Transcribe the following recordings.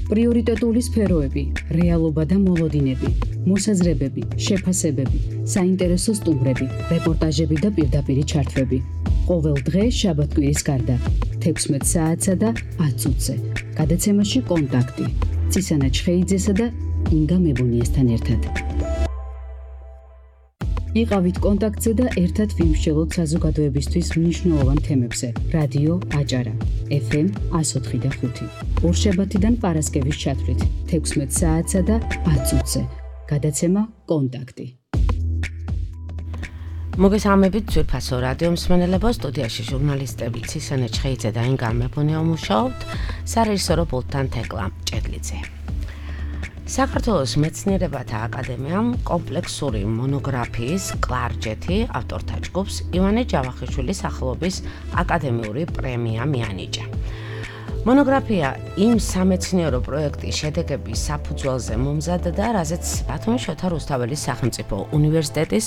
პრიორიტეტული სფეროები, რეალობა და მოლოდინები, მოსაზრებები, შეფასებები, საინტერესო სტუმრები, რეპორტაჟები და პირდაპირი ჩართვები. ყოველ დღე შაბათ-კვირის გარდა 16 საათსა და 10 წუთზე. გადაცემაში კონტაქტი. წისანა ჩხეიძესა და ინგა მებუნიასთან ერთად. იყავით კონტაქტზე და ერთად ვიმსჯელოთ საზოგადოებისთვის მნიშვნელოვან თემებზე. რადიო აჭარა, FM 104.5. ორშაბათიდან პარასკევის ჩათვლით 16 საათსა და 10 წუთზე. გადაცემა კონტაქტი. მოგესალმებით ძვირფასო რადიო მსმენელებო, სტუდიაში ჟურნალისტები წისანა ჩხეიძე და ინგა მებუნია მუშაობთ სარეჟისორო პულტთან თეკლა ჭედლიძე. საქართველოს მეცნიერებათა აკადემიამ კომპლექსური მონოგრაფიის კლარჯეთი ავტორთა ჯგუფს ივანე ჯავახიშვილის სახელობის აკადემიური პრემია მიანიჭა. მონოგრაფია იმ სამეცნიერო პროექტის შედეგების საფუძველზე მომზადდა, რაზეც ბათუმის შოთა რუსთაველის სახელმწიფო უნივერსიტეტის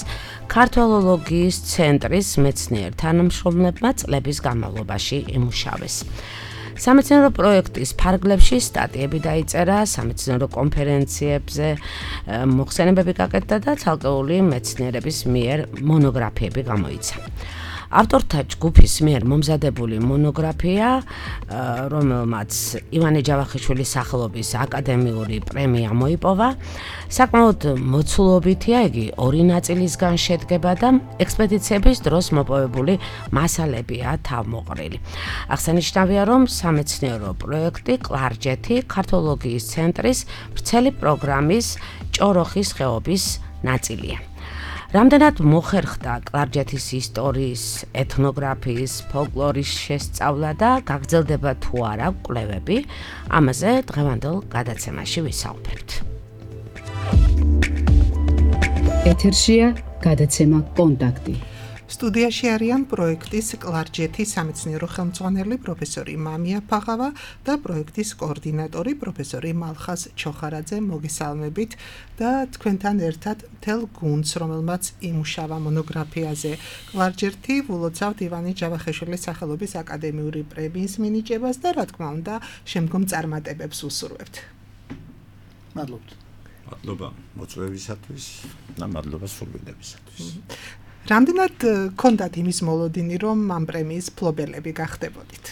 ქართველოლოგიის ცენტრის მეცნიერ თანამშრომლებმა წლების განმავლობაში იმუშავეს. სამეცნიერო პროექტის ფარგლებში სტატიები დაიწერა, სამეცნიერო კონფერენციებზე მოხსენებები გაკეთდა და ცალკეული მეცნიერების მიერ მონოგრაფიები გამოიცა. ავტორთა ჯგუფის მიერ მომზადებული მონოგრაფია, რომელმაც ივანე ჯავახიშვილის სახელობის აკადემიური პრემია მოიპოვა, საკმაოდ მოცულობითია, იგი ორი ნაწილისგან შედგება და ექსპედიციების დროს მოპოვებული მასალებია თავმოყრილი. აღსანიშნავია, რომ სამეცნიერო პროექტი კლარჯეთი ქართველოლოგიის ცენტრის ვრცელი პროგრამის ჭოროხის ხეობის ნაწილია. რამდენად მოხერხდა კლარჯეთის ისტორიის, ეთნოგრაფიის, ფოლკლორის შესწავლა და გაგრძელდება თუ არა კვლევები, ამაზე დღევანდელ გადაცემაში ვისაუბრებთ. ეთერშია გადაცემა კონტაქტი. სტუდიაში არიან პროექტის კლარჯეთი სამეცნიერო ხელმძღვანელი პროფესორი მამია ფაღავა და პროექტის კოორდინატორი პროფესორი მალხაზ ჩოხარაძე. მოგესალმებით და თქვენთან ერთად მთელ გუნდს, რომელმაც იმუშავა მონოგრაფიაზე. კლარჯეთი ვილოცავთ ივანე ჯავახიშვილის სახელობის აკადემიური პრემიის მინიჭებას და რა თქმა უნდა, შემდგომ წარმატებებს უსურვებთ. მადლობთ. მადლობა მოწვევისათვის და მადლობა სრულდებისათვის. რამდენად გქონდათ იმის მოლოდინი, რომ ამ პრემიის მფლობელები გახდებოდით?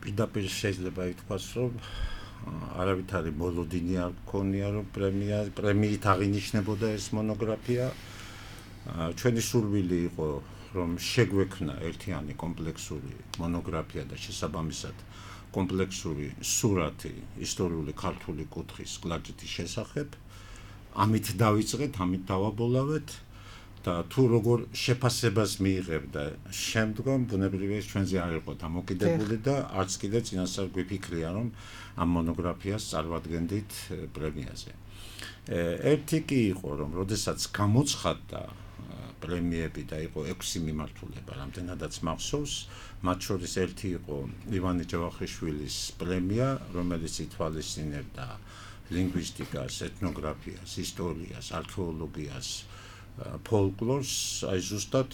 პირდაპირ შეიძლება ითქვას, რომ არავითარი მოლოდინი არ გქონია, რომ პრემიით აღინიშნებოდა ეს მონოგრაფია. ჩვენი სურვილი იყო, რომ შეგვექმნა ერთიანი კომპლექსური მონოგრაფია და შესაბამისად კომპლექსური სურათი ისტორიული ქართული კუთხის კლარჯეთის შესახებ. ამით დავიწყეთ, ამით დავაბოლავეთ. და თუ როგორ შეფასებას მიიღებდა შემდგომ, ბუნებრივია ჩვენზე არ იყო დამოკიდებული და არც კიდე წინასწარ გვიფიქრია, რომ ამ მონოგრაფიას წარმოადგენდით პრემიაზე. ერთი კი იყო, რომ როდესაც გამოცხადდა პრემიები და იყო 6 მიმართულება, რამდენადაც მახსოვს, მათ შორის ერთი იყო ივანე ჯავახიშვილის პრემია, რომელიც ითვალისწინებდა ლინგვისტიკას, ეთნოგრაფიას, ისტორიას, არქეოლოგიას, ფოლკლორს, აი ზუსტად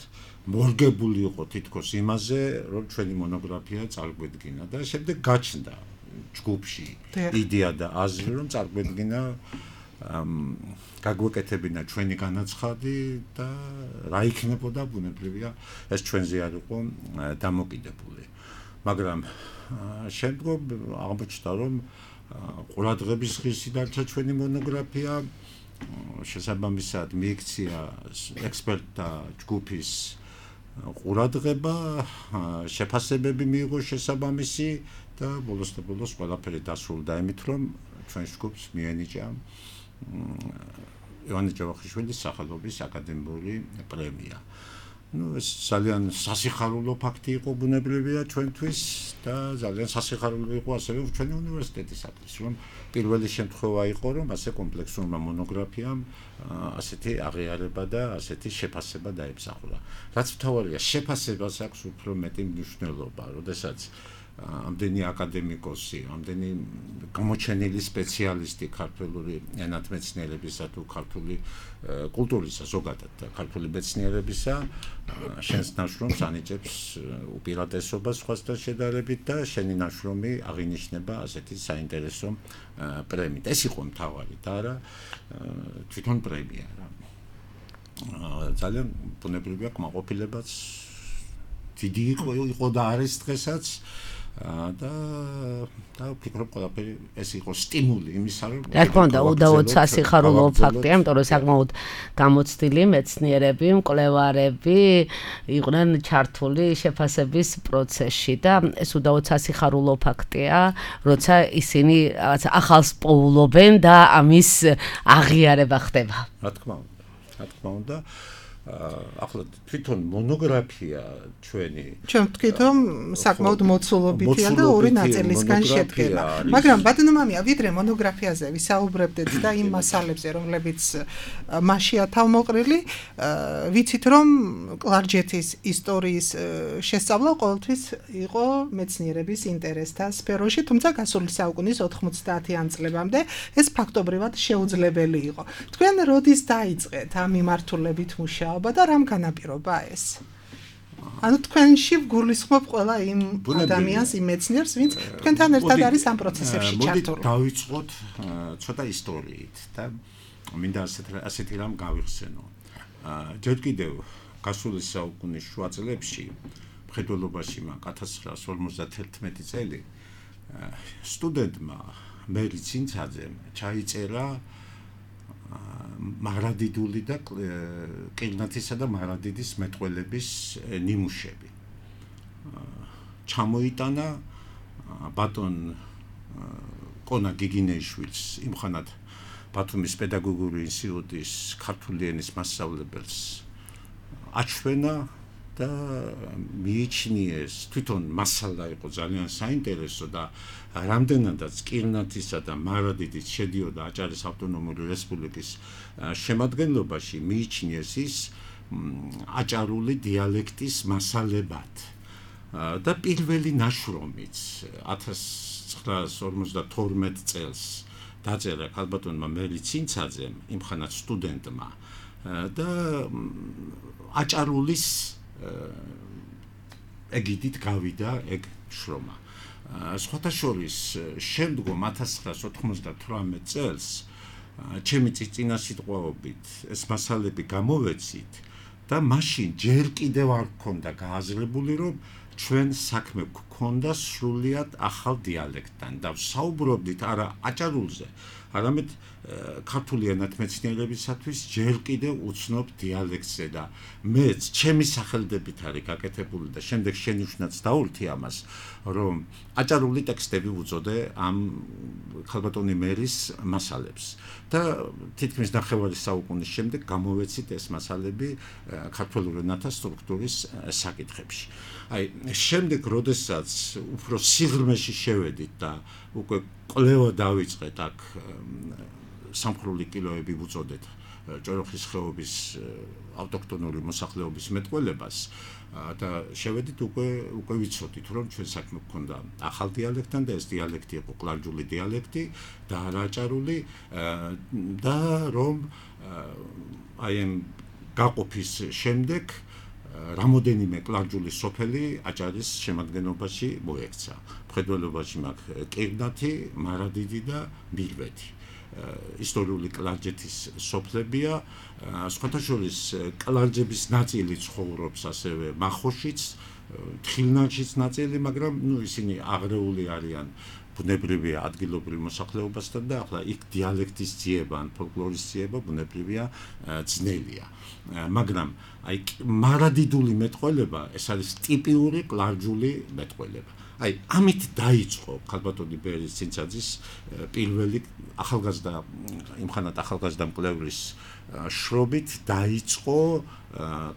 მორგებული იყო თითქოს იმაზე, რომ ჩვენი მონოგრაფია წარგვედგინა და შემდეგ გაჩნდა ჯგუფში იდეა და აზრი, რომ წარგვედგინა გაგვეკეთებინა ჩვენი განაცხადი და რა იქნებოდა, ბუნებრივია ეს ჩვენზე არ იყო დამოკიდებული. მაგრამ შემდგომ აღმოჩნდა, რომ ყურადღების ღირსი დარჩა ჩვენი მონოგრაფია. შესაბამისად მიიქცია ექსპერტთა ჯგუფის ყურადღება, შეფასებები მიიღო შესაბამისი და ბოლოს ყველაფერი დასრულდა იმით, რომ ჩვენ ჯგუფს მიენიჭა ივანე ჯავახიშვილის სახელობის აკადემიური პრემია. ეს ძალიან სასიხარულო ფაქტი იყო ბუნებრივია ჩვენთვის და ძალიან სასიხარულო იყო ასევე ჩვენი უნივერსიტეტისათვის, რომ პირველი შემთხვევა იყო, რომ ასე კომპლექსურმა მონოგრაფიამ ასეთი აღიარება და ასეთი შეფასება დაიმსახურა. რაც მთავარია, შეფასებას აქვს უფრო მეტი მნიშვნელობა, როდესაც ამდენი აკადემიკოსი, ამდენი გამოჩენილი სპეციალისტი ქართული ენათმეცნიერებისა თუ ქართული კულტურისა ზოგადად ქართული მეცნიერებისა შენს ნაშრომს ანიჭებს უპირატესობას სხვასთან შედარებით და შენი ნაშრომი აღინიშნება ასეთი საინტერესო პრემიით. ეს იყო მთავარი და არა თვითონ პრემია რა. ძალიან ბუნებრივია კმაყოფილებაც დიდი იყო და არის დღესაც და ვფიქრობ ყველაფერი ეს იყო სტიმული იმისა რომ რა თქმა უნდა უდავოდ სასიხარულო ფაქტია, იმიტომ რომ საკმაოდ გამოცდილი მეცნიერები, მკვლევარები იყვნენ ჩართული შეფასების პროცესში და ეს უდავოდ სასიხარულო ფაქტია, როცა ისინი რაღაც ახალს პოულობენ და ამის აღიარება ხდება. რა თქმა უნდა ახლა თვითონ მონოგრაფია ჩვენ ვთქვით რომ საკმაოდ მოცულობითია და ორი ნაწილისგან შედგება. მაგრამ ბატონო მამია, ვიდრე მონოგრაფიაზე ვისაუბრებდეთ და იმ მასალებზე, რომლებიც მასშია თავმოყრილი, ვიცით რომ კლარჯეთის ისტორიის შესწავლა ყოველთვის იყო მეცნიერების ინტერესთა სფეროში, თუმცა გასული საუკუნის 90-იან წლებამდე ეს ფაქტობრივად შეუძლებელი იყო. თქვენ როდის დაიწყეთ ამ მიმართულებით მუშაობა და რამ განაპირობა ეს? ანუ თქვენში ვგულისხმობ ყველა იმ ადამიანს, იმ მეცნიერს, ვინც თქვენთან ერთად არის ამ პროცესებში ჩართული. მოდით დავიწყოთ ცოტა ისტორიით და მინდა ასეთი რამ გავიხსენო. ჯერ კიდევ გასული საუკუნის შუა წლებში, მხედველობაში მაგ 1951 წელი, სტუდენტმა მერი ცინცაძემ ჩაიწერა მარადიდული და ყირნათისა და მარადიდის მეტყველების ნიმუშები. ჩამოიტანა ბატონ კონა გიგინეიშვილს, იმხანად ბათუმის პედაგოგიური ინსტიტუტის ქართული ენის მასწავლებელს აჩვენა და მიიჩნიეს, თვითონ მასალა იყო ძალიან საინტერესო და რამდენადაც ყირნათისა და მარადიდის შედიოდა აჭარის ავტონომიური რესპუბლიკის შემადგენლობაში, მიიჩნიეს ის აჭარული დიალექტის მასალებად. და პირველი ნაშრომიც 1952 წელს დაწერა ქალბატონმა მერი ცინცაძემ, იმხანად სტუდენტმა და აჭარულის ეგიდით გავიდა ეგ შრომა. სხვათა შორის შემდგომ 1998 წელს ჩემი წინასიტყვაობით ეს მასალები გამოვეცით და მაშინ ჯერ კიდევ არ გქონდა გააზრებული რომ ჩვენ საქმე გქონდა სრულიად ახალ დიალექტთან და საუბრობდით არა აჭარულზე, არამედ ქართული ენათმეცნიერებისათვის ჯერ კიდევ უცნობ დიალექტზე და მეც ჩემი სახელდებით არის გაკეთებული და შემდეგ შენიშვნაც დაურთი ამას, რომ აჭარული ტექსტები უწოდე ამ ქალბატონი მერის მასალებს და თითქმის ნახევარი საუკუნის შემდეგ გამოვეცით ეს მასალები ქართული ენათა სტრუქტურის საკითხებში. აი, შემდეგ როდესაც უფრო სიღრმეში შევედით და უკვე კვლევა დავიწყეთ აქ სამხვრული კილოები უწოდეთ ჭოროხის ხეობის ავტოქტონური მოსახლეობის მეტყველებას და შევედით უკვე ვიცოდით რომ ჩვენ საქმე გქონდა ახალ დიალექტთან და ეს დიალექტი იყო კლარჯული დიალექტი და არა აჭარული და რომ აი ამ გაყოფის შემდეგ რამოდენიმე კლარჯული სოფელი აჭარის შემადგენლობაში მოექცა. მხედველობაში მაქვს ყირნათი, მარადიდი და მირვეთი. ისტორიული კლარჯეთის სოფლებია, სხვათა შორის კლარჯების ნაწილი ცხოვრობს ასევე მახოშიც, თხილნანშიც ნაწილი, მაგრამ ისინი აღრეული არიან ბუნებრივია ადგილობრივ მოსახლეობასთან და ახლა იქ დიალექტის ძიება ან ფოლკლორის ძიება ბუნებრივია ძნელია. მაგრამ აი მარადიდული მეტყველება ეს არის ტიპიური კლარჯული მეტყველება. აი ამით დაიწყო ქალბატონი მერის ცინცაძის პირველი ახალგაზრდა იმხანად ახალგაზრდა მკვლევრის შრომით დაიწყო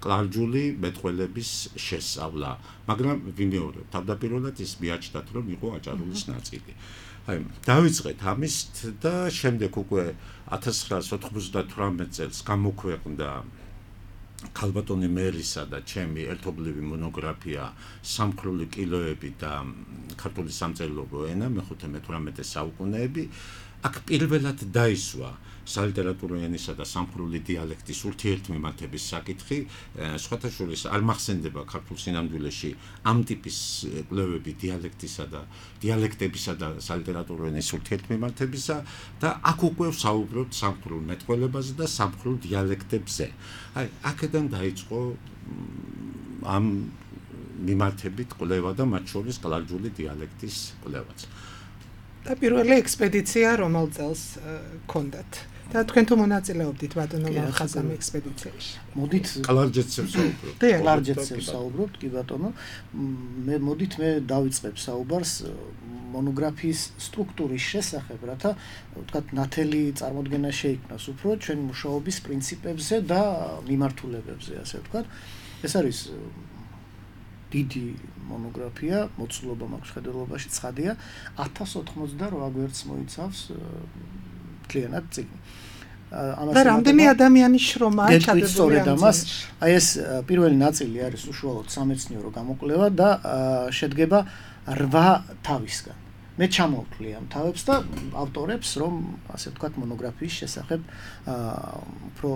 კლარჯული მეტყველების შესწავლა, მაგრამ ვიმეორებ, თავდაპირველად ის მიაჩნდათ რომ იყო აჭარულის ნაწილი. აი დავიწყეთ ამით და შემდეგ უკვე 1998 წელს გამოქვეყნდა ქალბატონი მერისა და ჩემი ერთობლივი მონოგრაფია სამხვრული კილოები და ქართული სამწერლობო ენა მე-15-18 საუკუნეები აქ პირველად დაისვა სალიტერატურო ენისა და სამხვრული დიალექტის ურთიერთმემართების საკითხი, სხვათა შორის არ მახსენდება ქართულ სინამდვილეში ამ ტიპის კვლევები დიალექტებისა და სალიტერატურო ენის ურთიერთმემართებისა და აქ უკვე ვსაუბრობთ სამხვრულ მეტყველებაზე და სამხვრულ დიალექტებზე. აი, აქედან დაიწყო ამ მიმართებით კვლევა და მათ შორის კლარჯული დიალექტის კვლევაც. და პირველი ექსპედიცია რომელ წელს გქონდათ? და თქვენ თუ მონაწილეობდით ბატონო მალხაზამ ექსპედიციაში? მოდით კლარჯეთზე ვსაუბრობთ. კლარჯეთზე ვსაუბრობთ, კი ბატონო. მოდით მე დავიწყებ საუბარს მონოგრაფიის სტრუქტურის შესახებ, რათა ვთქვათ, ნათელი წარმოდგენა შეიქმნას უფრო ჩვენ მუშაობის პრინციპებზე და მიმართულებებზე, ასე ვთქვათ. ეს არის დიდი მონოგრაფია, მოცულობა მაქვს ხედელობაში, ცხადია, 1088 გვერდს მოიცავს მთლიანად წიგნი. და რამდენი ადამიანის შრომაა ჩადებული ამას? აი ეს პირველი ნაწილი არის უშუალოდ სამეცნიერო გამოკვლევა და შედგება 8 თავისგან. მე ჩამოვთვლი ამ თავებს და ავტორებს, რომ ასე ვთქვათ, მონოგრაფიის შესახებ უფრო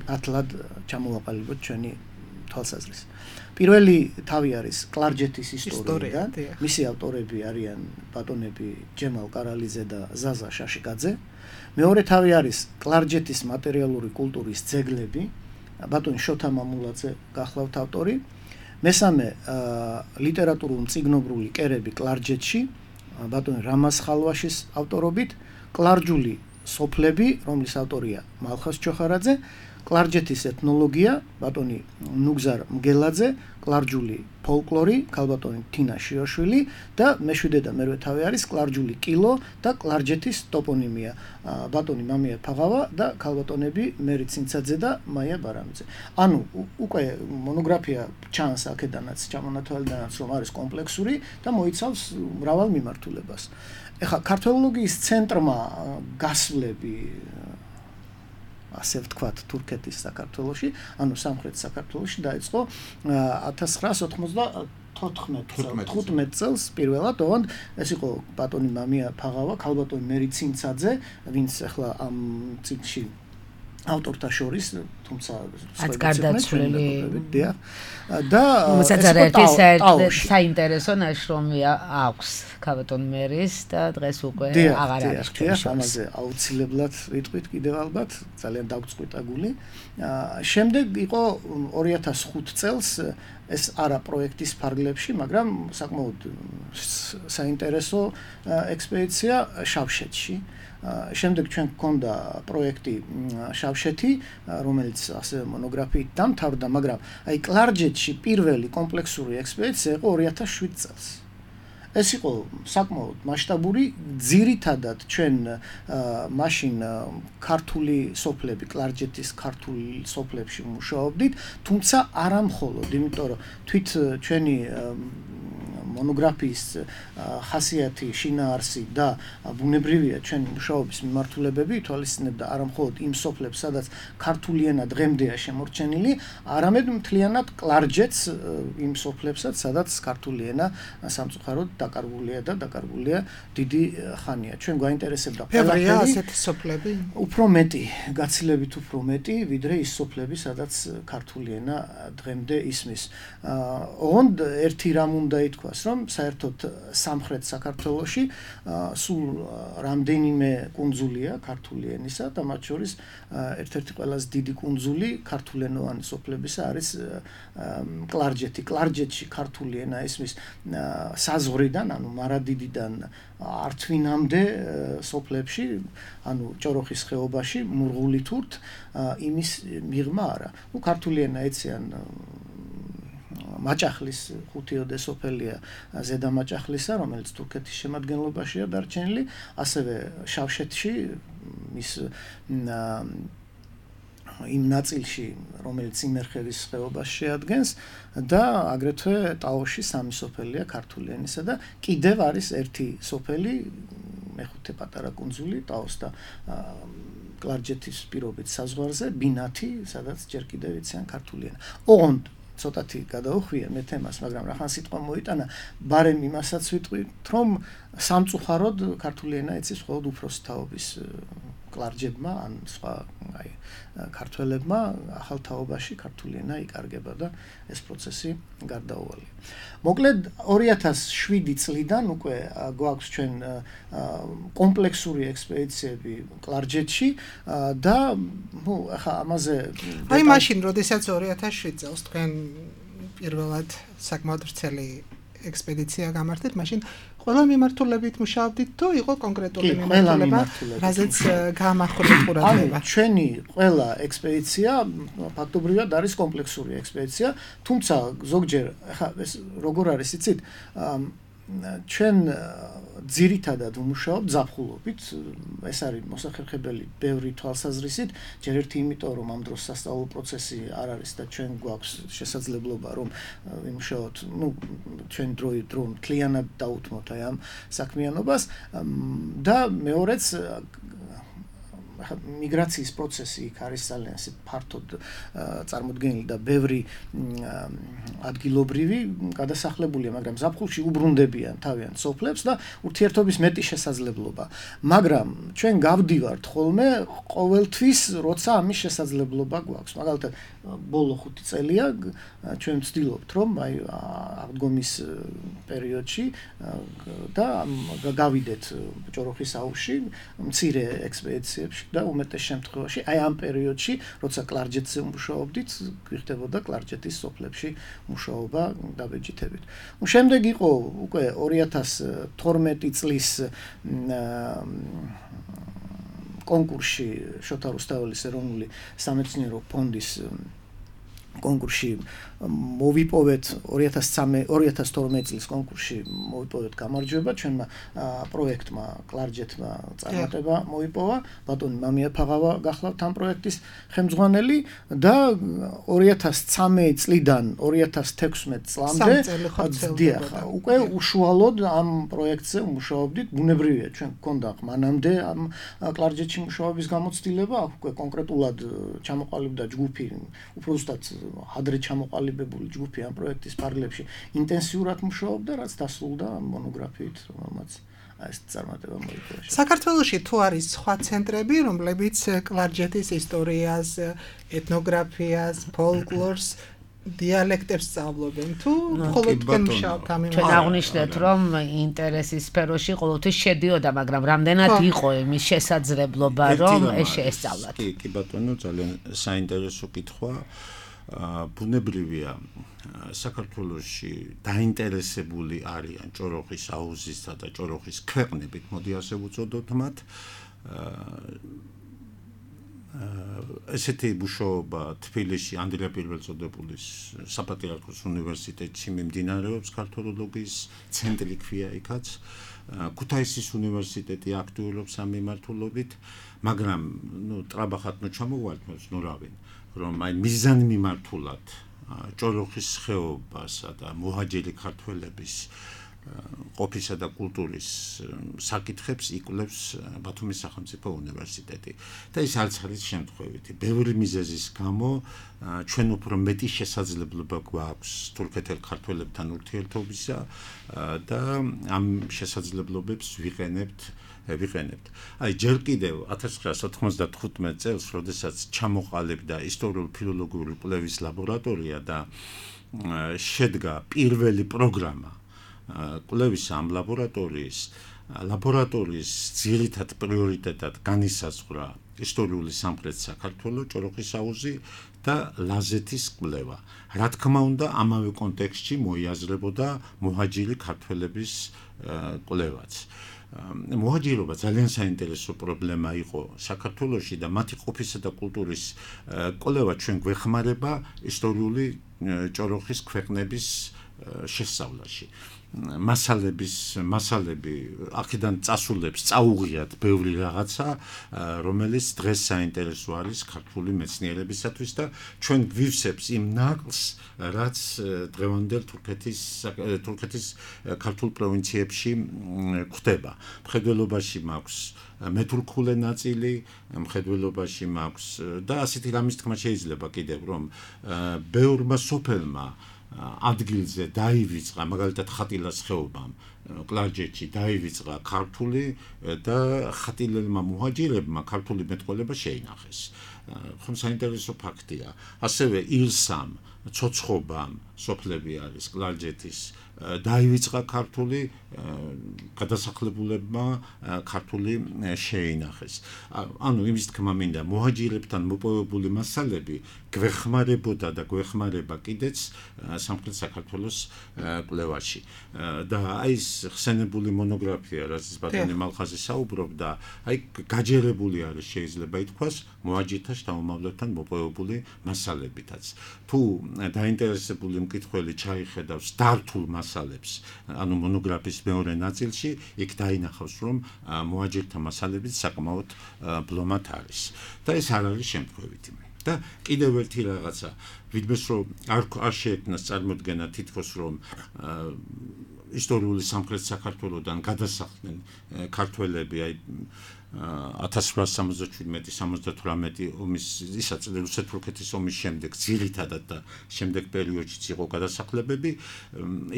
ათლად ჩამოვაყალიბოთ ჩვენი თვალსაზრისი. პირველი თავი არის კლარჯეთის ისტორიიდან. მისი ავტორები არიან ბატონები ჯემალ კარალიძე და ზაზა შაშიკაძე. მეორე თავი არის კლარჯეთის მატერიალური კულტურის ძეგლები. ბატონი შოთა მამულაძე გახლავთ ავტორი. მესამე ლიტერატურულ-მწიგნობრული კერები კლარჯეთში. ბატონი რამაზ ხალვაშის ავტორობით. კლარჯული სოფლები, რომლის ავტორია მალხაზ ჩოხარაძე. კლარჯეთის ეთნოლოგია, ბატონი ნუგზარ მგელაძე, კლარჯული ფოლკლორი, ქალბატონი თინა შიოშვილი და მეშვიდე და მერვე თავი არის კლარჯული კილო და კლარჯეთის ტოპონიმია, ბატონი მამია ფაღავა და ქალბატონები მერი ცინცაძე და მაია ბარამიძე. ანუ უკვე მონოგრაფია ჩანს აქედანაც, ჩამონათვალიდანაც, რომ არის კომპლექსური და მოიცავს მრავალ მიმართულებას. ეხლა ქართველოლოგიის ცენტრმა გასვლები ასე ვთქვათ, თურქეთის საქართველოში, ანუ სამხრეთ საქართველოში დაიწყო 1994 წელს პირველად, ოღონდ ეს იყო ბატონი მამია ფაღავა, ქალბატონი მერი ცინცაძე, ვინც ახლა ამ წიგნში ავტორთა შორის, თუმცა რაც გარდაცვლილი და საინტერესო ნაშრომი აქვს ქალბატონ მერის და დღეს უკვე აღარ არის ჩვენში. ამაზე აუცილებლად ვიტყვით კიდევ ალბათ, ძალიან დაგწყვიტა გული. შემდეგ იყო 2005 წელს ეს არა პროექტის ფარგლებში, მაგრამ საკმაოდ საინტერესო ექსპედიცია შავშეთში. შემდეგ ჩვენ გქონდა პროექტი შავშეთი, რომელიც ასე მონოგრაფიით დამთავრდა, მაგრამ აი კლარჯეთში პირველი კომპლექსური ექსპედიცია იყო 2007 წელს. ეს იყო საკმაოდ მასშტაბური, ძირითადად ჩვენ მაშინ ქართული სოფლები, კლარჯეთის ქართული სოფლებში მუშაობდით, თუმცა არა მხოლოდ, იმიტომ რომ თვით ჩვენი მონოგრაფიის ხასიათი, შინაარსი და ბუნებრივია ჩვენი მუშაობის მიმართულებები, ითვალისწინებდა არა მხოლოდ იმ სოფლებს, სადაც ქართული ენა დღემდეა შემორჩენილი, არამედ მთლიანად კლარჯეთს იმ სოფლებსაც, სადაც ქართული ენა სამწუხაროდ დაკარგულია დიდი ხანია. ჩვენ გვაინტერესებდა ყველაფერი ასეთი სოფლები? უფრო მეტი, გაცილებით უფრო მეტი, ვიდრე ის სოფლები, სადაც ქართული ენა დღემდე ისმის. ოღონდ ერთი რამ უნდა ითქვას, რომ საერთოდ სამხრეთ საქართველოში სულ რამდენიმე კუნძულია ქართული ენისა და მათ შორის ერთ-ერთი ყველაზე დიდი კუნძული ქართულენოვანი სოფლებისა არის კლარჯეთი. კლარჯეთში ქართული ენა ისმის საზღვრიდან, ანუ მარადიდიდან ართვინამდე სოფლებში, ანუ ჭოროხის ხეობაში, მურღულითურთ იმის მიღმა არა. ნუ ქართული ენა ეციან მაჭახლის ხუთიოდე სოფელია ზედა მაჭახლისა, რომელიც თურქეთის შემადგენლობაშია დარჩენილი, ასევე შავშეთში ის იმ ნაწილში, რომელიც იმერხევის ხეობას შეადგენს და აგრეთვე ტაოში 3 სოფელია ქართული ენისა და კიდევ არის ერთი სოფელი მეხუთე პატარა კუნძული ტაოს და კლარჯეთის პირობით საზღვარზე ბინათი, სადაც ჯერ კიდევ იციან ქართული ენა. ოღონდ ცოტათი გადაუხვია მე თემას, მაგრამ რახან სიტყვა მოიტანა, ბარემ იმასაც ვიტყვით, რომ სამწუხაროდ ქართული ენა იცის მხოლოდ უფროსი თაობის კლარჯებმა, ან სხვა ქართველებმა ახალ თაობაში ქართული ენა იკარგება და ეს პროცესი გარდაუვალია. მოკლედ 2007 წლიდან უკვე გვაქვს ჩვენ კომპლექსური ექსპედიციები კლარჯეთში და ახლა ამაზე აი მაშინ როდესაც 2007 წელს თქვენ პირველად საკმაოდ ვრცელი ექსპედიცია გამართეთ, მაშინ ყველა მიმართულებით მუშაობდით თუ იყო კონკრეტული მიმართულება, რაზეც გაამახვილეთ ყურადღება? ჩვენი ყველა ექსპედიცია ფაქტობრივად არის კომპლექსური ექსპედიცია, თუმცა ზოგჯერ ახლა ეს როგორ არის იცით, ჩვენ ძირითადად ვმუშაობთ ზაფხულობით, ეს არის მოსახერხებელი ბევრი თვალსაზრისით, ჯერ ერთი იმიტომ რომ ამ დროს სასწავლო პროცესი არ არის და ჩვენ გვაქვს შესაძლებლობა რომ ვიმუშაოთ, ჩვენ დრო მთლიანად დაუთმოთ აი ამ საქმიანობას და მეორეც მიგრაციის პროცესი იქ არის ძალიან ისე ფართოდ წარმოდგენილი და ბევრი ადგილობრივი გადასახლებულია, მაგრამ ზაფხულში უბრუნდებიან თავიანთ სოფლებს და ურთიერთობის მეტი შესაძლებლობა. მაგრამ ჩვენ გავდივართ ხოლმე ყოველთვის, როცა ამის შესაძლებლობა გვაქვს. მაგალითად, ბოლო 5 წელია ჩვენ ვცდილობთ, რომ აი აღდგომის პერიოდში და გავიდეთ ჭოროხის აუზში მცირე ექსპედიციებში და უმეტეს შემთხვევაში აი ამ პერიოდში, როცა კლარჯეთზე მუშაობდით, გვიხდებოდა კლარჯეთის სოფლებში მუშაობა დაბეჭდებით. შემდეგ იყო უკვე 2012 წლის კონკურსში შოთა რუსთაველის ეროვნული სამეცნიერო ფონდის კონკურსში მოვიპოვეთ 2012 წლის კონკურსში მოვიპოვეთ გამარჯვება, ჩვენმა პროექტმა კლარჯეთმა წარმატება მოიპოვა, ბატონი მამია ფაღავა გახლავთ ამ პროექტის ხელმძღვანელი და 2013 წლიდან 2016 წლამდე უკვე უშუალოდ ამ პროექტზე მუშაობდით, ბუნებრივია, ჩვენ გქონდა მანამდე ამ კლარჯეთში მუშაობის გამოცდილება, უკვე კონკრეტულად ჩამოყალიბდა ჯგუფი, უფრო ზუსტად ადრე ჩამოყალიბებული ჯგუფი ამ პროექტის ფარგლებში ინტენსიურად მუშაობდა, რაც დასრულდა მონოგრაფიით, რომელმაც ეს წარმატება მოიპოვა. საქართველოში თუ არის სხვა ცენტრები, რომლებიც კლარჯეთის ისტორიას, ეთნოგრაფიას, ფოლკლორს, დიალექტებს სწავლობენ თუ მხოლოდ თქვენ მუშაობთ ამ იმაზე? ჩვენ აღნიშნეთ, რომ ინტერესის სფეროში ყოველთვის შედიოდა, მაგრამ რამდენად იყო იმის შესაძლებლობა, რომ ეს შეესწავლათ? კი ბატონო, ძალიან საინტერესო კითხვა. ბუნებრივია, საქართველოში დაინტერესებული არიან ჭოროხის აუზისა და ჭოროხის ქვეყნებით, მოდი ასე ვუწოდოთ მათ. ესეთი მუშაობა თბილისში ანდრია პირველწოდებულის საპატრიარქოს უნივერსიტეტში მიმდინარეობს, ქართოლოგიის ცენტრი ქვია იქაც. ქუთაისის უნივერსიტეტი აქტიურობს ამ მიმართულებით, მაგრამ ტრაბახად ჩამოვალთ ნურავინ, რომ აი მიზანმიმართულად ჭოროხის ხეობასა და მოჰაჯერი ქართველების ყოფისა და კულტურის საკითხებს იკვლევს ბათუმის სახელმწიფო უნივერსიტეტი. და ეს არც არის შემთხვევითი. ბევრი მიზეზის გამო ჩვენ უფრო მეტი შესაძლებლობა გვაქვს თურქეთელ ქართველებთან ურთიერთობისა და ამ შესაძლებლობებს ვიყენებთ. აი ჯერ კიდევ 1995 წელს, როდესაც ჩამოყალიბდა ისტორიულ-ფილოლოგიური კვლევის ლაბორატორია და შედგა პირველი პროგრამა კვლევის ამ ლაბორატორიის ძირითად პრიორიტეტად განისაზღვრა ისტორიული სამხრეთ საქართველო, ჭოროხის აუზი და ლაზეთის კვლევა. რა თქმა უნდა, ამავე კონტექსტში მოიაზრებოდა მოჰაჯირი ქართველების კვლევაც. მოჰაჯირობა ძალიან საინტერესო პრობლემა იყო საქართველოში და მათი ყოფისა და კულტურის კვლევა ჩვენ გვეხმარება ისტორიული ჭოროხის ქვეყნების შესწავლაში. მასალები აქედან წასულებს წაუღიათ ბევრი რაღაცა, რომელიც დღეს საინტერესო არის ქართული მეცნიერებისათვის და ჩვენ გვივსებს იმ ნაკლს, რაც დღევანდელ თურქეთის ქართულ პროვინციებში გვხდება. მხედველობაში მაქვს მეთურქულე ნაწილი, მხედველობაში მაქვს და ასეთი რამის თქმა შეიძლება კიდევ რომ ბევრმა სოფელმა ადგილზე დაივიწყა მაგალითად ხატილას ხეობამ კლარჯეთში დაივიწყა ქართული და ხატილელმა მუჰაჯირებმა ქართული მეტყველება შეინახეს. ხომ საინტერესო ფაქტია. ასევე ილსამ, ცოცხობამ სოფლები არის კლარჯეთის დაივიწყა ქართული გადასახლებულებმა ქართული შეინახეს. ანუ იმის თქმა მინდა მუჰაჯირებთან მოპოვებული მასალები გვეხმარებოდა და გვეხმარება კიდეც სამხრეთ საქართველოს კვლევაში. და აი ეს ხსენებული მონოგრაფია, რაც ბატონი მალხაზი საუბრობდა, აი გაჯერებული არის შეიძლება ითქვას მუჰაჯირთა შთამომავლებთან მოპოვებული მასალებითაც. თუ დაინტერესებული მკითხველი ჩაიხედავს დართულ მასალებს, ანუ მონოგრაფიის მეორე ნაწილში, იქ დაინახავს, რომ მუჰაჯირთა მასალებიც საკმაოდ ბლომად არის. და ეს არ არის შემთხვევითი. და კიდევ ერთი რაღაცა, ვიდმეს რომ არ შეექმნას წარმოდგენა თითქოს რომ ისტორიული სამხრეთ საქართველოსდან გადასახლდნენ ქართველები, აი 1877-78 ომის რუსეთ-თურქეთის ომის შემდეგ ძირითადად და შემდეგ პერიოდშიც იყო გადასახლებები,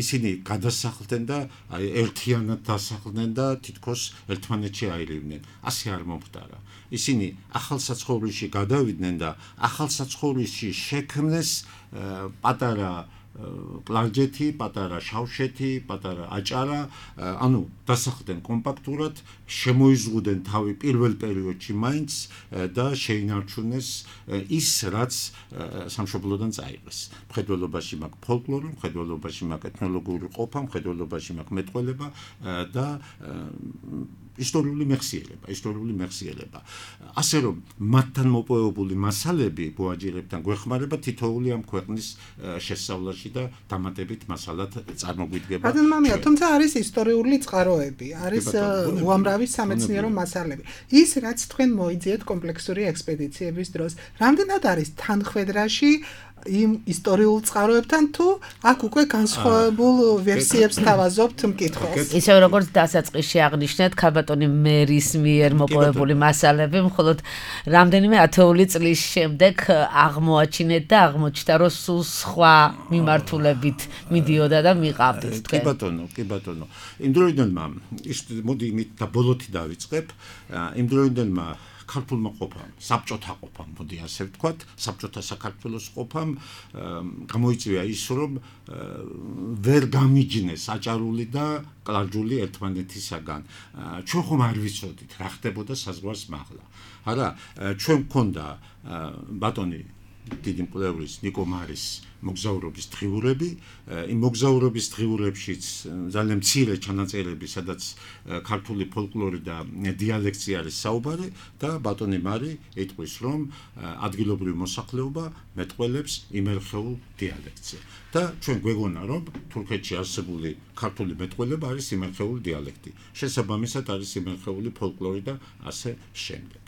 ისინი გადასახლდნენ და აი ერთიანად დასახლდნენ და თითქოს ერთმანეთში აირივნენ. ასე არ მომხდარა. ისინი ახალ საცხოვრისში გადავიდნენ და ახალ საცხოვრისში შექმნეს პატარა კლარჯეთი, პატარა შავშეთი, პატარა აჭარა, ანუ დასახლდნენ კომპაქტურად, შემოიზღუდენ თავი პირველ პერიოდში მაინც და შეინარჩუნეს ის, რაც სამშობლოდან წაიღეს. მხედველობაში მაქვს ფოლკლორი, მხედველობაში მაქვს ეთნოლოგიური ყოფა, მხედველობაში მაქვს მეტყველება და ისტორიული მეხსიერება. ასე რომ მათთან მოპოვებული მასალები მუჰაჯირებთან გვეხმარება თითოეული ამ ქვეყნის შესწავლაში და დამატებით მასალად წარმოგვიდგება. ბატონ მამია, თუმცა არის ისტორიული წყაროები, არის უამრავი სამეცნიერო მასალები. ის რაც თქვენ მოიძიეთ კომპლექსური ექსპედიციების დროს, რამდენად არის თანხwebdriverში იმ ისტორიულ წყაროებთან თუ აქ უკვე განსხვავებულ ვერსიებს თავაზობთ მკითხველს. ისევ როგორც დასაწყისში აღნიშნეთ, ქალბატონი მერის მიერ მოპოვებული მასალები მხოლოდ რამდენიმე ათეული წლის შემდეგ აღმოაჩინეთ და აღმოჩნდა, რომ სულ სხვა მიმართულებით მიდიოდა და მიყავდით თქვენ. კი ბატონო. იმ დროიდანმა მოდი იმით და ბოლოთი დავიწყებ, იმ დროიდანმა ქართულმა ყოფამ, საბჭოთა ყოფამ, მოდი ასე ვთქვათ, საბჭოთა საქართველოს ყოფამ გამოიწვია ის, რომ ვერ გამიჯნეს აჭარული და კლარჯული ერთმანეთისაგან. ჩვენ ხომ არ ვიცოდით, რა ხდებოდა საზღვარს მაღლა. არა, ჩვენ გქონდა ბატონი დიდი მკვლევრის ნიკო მარის მოგზაურობის დღიურები, იმ მოგზაურობის დღიურებშიც ძალიან მცირე ჩანაწერები, სადაც ქართული ფოლკლორი და დიალექტი არის საუბარი და ბატონი მარი იტყვის, რომ ადგილობრივი მოსახლეობა მეტყველებს იმერხეულ დიალექტზე. და ჩვენ გვეგონა, რომ თურქეთში არსებული ქართული მეტყველება არის იმერხეული დიალექტი. შესაბამისად არის იმერხეული ფოლკლორი და ასე შემდეგ.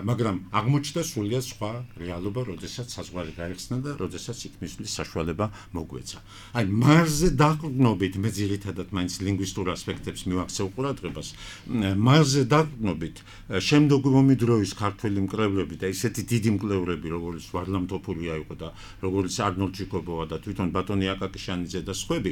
მაგრამ აღმოჩნდა სრულიად სხვა რეალობა, როდესაც საზღვარი გაიხსნა და როდესაც იქ მისვლის საშუალება მოგვეცა. აი მარზე დაყრდნობით მე ძირითადად მაინც ლინგვისტურ ასპექტებს მივაქცევ ყურადღებას. მარზე დაყრდნობით შემდგომი მომიდროის ქართველი მკვლევრები და ისეთი დიდი მკვლევრები, როგორც ვარლამ თოფურია იყო და როგორც არნოლდ ჩიკობოვა და თვითონ ბატონი აკაკიშანიძე და სხვები,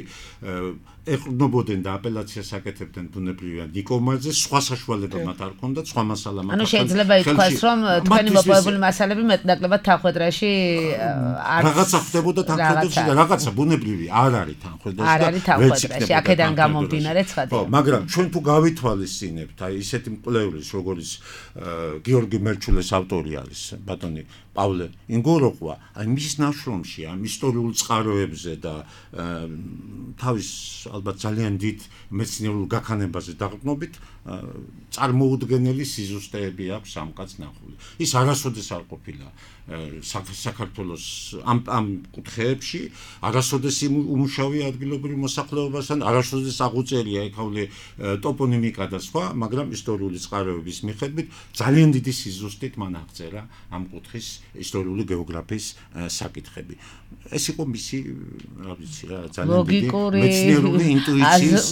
ეყრდნობოდნენ და აპელაციას აკეთებდნენ ბუნებრივია ნიკო მარზე, სხვა საშუალება მათ არ ჰქონდათ, სხვა მასალა მათ. ანუ შეიძლება ითქვას, რომ თქვენი მოპოვებული მასალები მეტნაკლებად თანხwebdriverში რაღაცა ხდებოდა თანხwebdriverში და რაღაცა ბუნებრივი არ არის თანხwebdriverში. არ არის თანხwebdriverში, აქედან გამომდინარე ცხადია. მაგრამ ჩვენ თუ გავითვალისწინებთ, აი ესეთი მკვლევრის, როგორც გიორგი მერჩულეს ავტორი არის, ბატონი პავლე ინგოროყვა, აი მის ნაშრომში ამ ისტორიულ წყაროებზე და თავის ალბათ ძალიან დიდ მეცნიერულ გაქანებაზე დაყრდნობით წარმოუდგენელი სიზუსტეები აქვს ამ ამ კაცს ნახული. ის არასოდეს არ ყოფილა საქართველოს ამ კუთხეებში, არასოდეს უმუშავია ადგილობრივ მოსახლეობასთან, არასოდეს აღუწერია ეკავლე ტოპონიმიკა და სხვა, მაგრამ ისტორიული წყაროების მიხედვით ძალიან დიდი სიზუსტით მან აღწერა ამ კუთხის ისტორიული გეოგრაფიის საკითხები. ეს იყო მისი, რა ვიცი რა, ძალიან დიდი მეცნიერული ინტუიციის,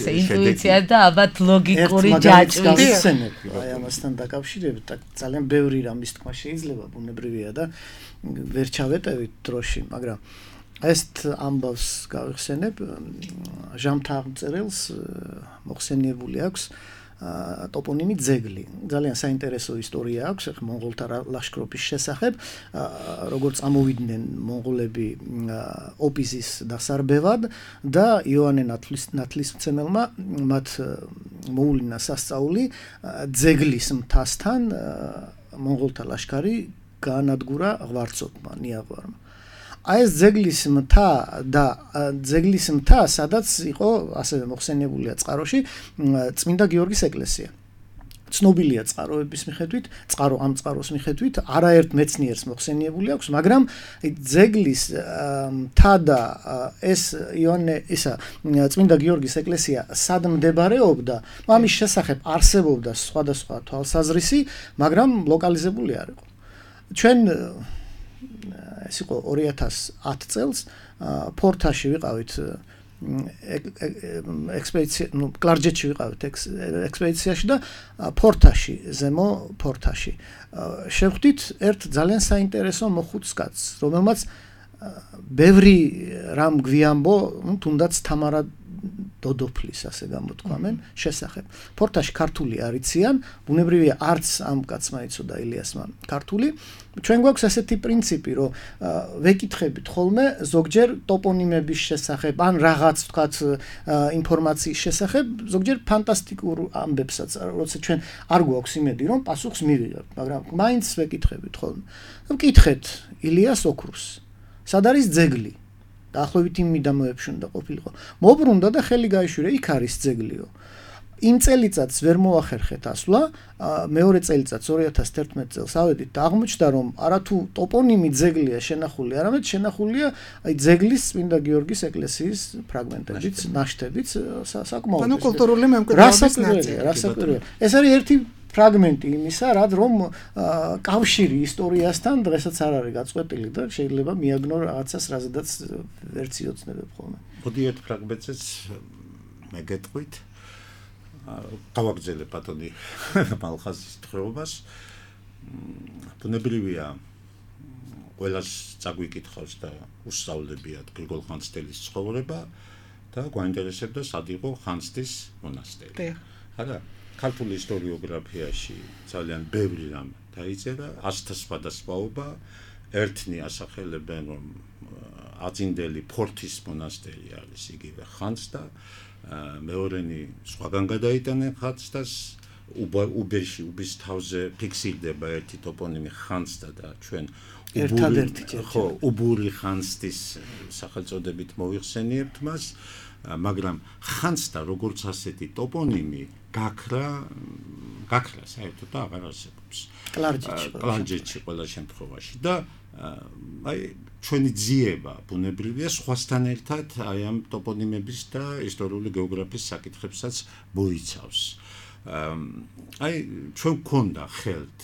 ინტუიცია და ალბათ ლოგიკური ჯაჭვის. აი ამასთან დაკავშირებით ძალიან ბევრი რამის თქმა შეიძლება, ბუნებრივია და ვერ ჩავეტევით დროში, მაგრამ ეს ამბავს გავიხსენებ, ჟამთა აღმწერელს მოხსენიებული აქვს ტოპონიმი ძეგლი. ძალიან საინტერესო ისტორია აქვს მონღოლთა ლაშქრობის შესახებ, როგორც წამოვიდნენ მონღოლები ოპიზის დასარბევად და იოანე ნათლისმცემელმა მათ მოულინა სასწაული ძეგლის მთასთან მონღოლთა ლაშქარი გაანადგურა ღვარცობმა, ნიაღვარმა. აი ეს ძეგლის მთა, სადაც იყო ასევე მოხსენიებულია წყაროში წმინდა გიორგის ეკლესია. ცნობილია წყაროების მიხედვით, ამ წყაროს მიხედვით, არაერთ მეცნიერს მოხსენიებული აქვს, მაგრამ ძეგლის მთა და ეს წმინდა გიორგის ეკლესია სად მდებარეობდა, ამის შესახებ არსებობდა სხვადასხვა თვალსაზრისი, მაგრამ ლოკალიზებული არ იყო. ჩვენ ეს იყო 2010 წელს ფორთაში ვიყავით ექსპედიცია, კლარჯეთში ვიყავით ექსპედიციაში და ფორთაში, ზემო ფორთაში. შევხვდით ერთ ძალიან საინტერესო მოხუც კაცს, რომელმაც ბევრი რამ გვიამბო, თუნდაც თამარა დოდოფლის ასე გამოთქვამენ შესახებ. ფორთაში ქართული არიციან, ბუნებრივია არც ამ კაცმა იცოდა ილიასმა ქართული. ჩვენ გვაქვს ასეთი პრინციპი, რომ ვეკითხებით ხოლმე ზოგჯერ ტოპონიმების შესახებ, ან რაღაც ვთქვათ ინფორმაციის შესახებ, ზოგჯერ ფანტასტიკურ ამბებსაც, როცა ჩვენ არ გვაქვს იმედი, რომ პასუხს მივიღებთ, მაგრამ მაინც ვეკითხებით ხოლმე. ვკითხეთ ილიას ოქროს. სად არის ძეგლი? დაახლოებით იმ მიდამოებში უნდა ყოფილიყო. მოbrunდა და ხელი გაიშვირა, იქ არის ძეგლიო. იმ წელიწადს ვერ მოახერხეთ ასვლა, მეორე წელიწადს 2011 წელს ავედით და აღმოჩნდა, რომ არათუ ტოპონიმი ძეგლია შენახული, არამედ შენახულია ძეგლის წმინდა გიორგის ეკლესიის ფრაგმენტებიც, ნაშთებიც, საკმაოდ. ანუ კულტურული მემკვიდრეობის ნაწილი. ეს არის ერთი ფრაგმენტი იმისა, რომ კავშირი ისტორიასთან დღესაც არ არის გაწყვეტილი და შეიძლება მიაგნო რაღაცას, რაზედაც ვერც იცნობებ ხოლმე. მოდი ერთ ფრაგმენტზეც მეგეთყვით. გავაგზავნე ბატონი მალხაზის თხრობას. ბუნებრივია ყველას წაგვიკითხავს და უსწავლებიათ გრიგოლ ხანძთელის ცხოვრება და გვაინტერესებდა სად იყო ხანძთის მონასტერი. არა, ქართული ისტორიოგრაფიაში ძალიან ბევრი რამ დაიწერა, ასთა სხვადასხვაობა, ერთნი ასახელებენ, რომ აწინდელი ფორთის მონასტერი არის იგივე ხანძთა, მეორენი სხვაგან გადაიტანენ ხანძთას, უბის თავზე ფიქსირდება ერთი ტოპონიმი ხანძთა და ჩვენ უბური ხანძთის სახელწოდებით მოვიხსენიებთ მას, მაგრამ ხანძთა როგორც ასეთი ტოპონიმი გაქრა საერთოდ აღარ არსებობს. კლარჯეთში ყველა შემთხვევაში და აი ჩვენი ძიება ბუნებრივია სხვასთან ერთად აი ამ ტოპონიმების და ისტორიული გეოგრაფიის საკითხებსაც მოიცავს. აი ჩვენ გქონდა ხელთ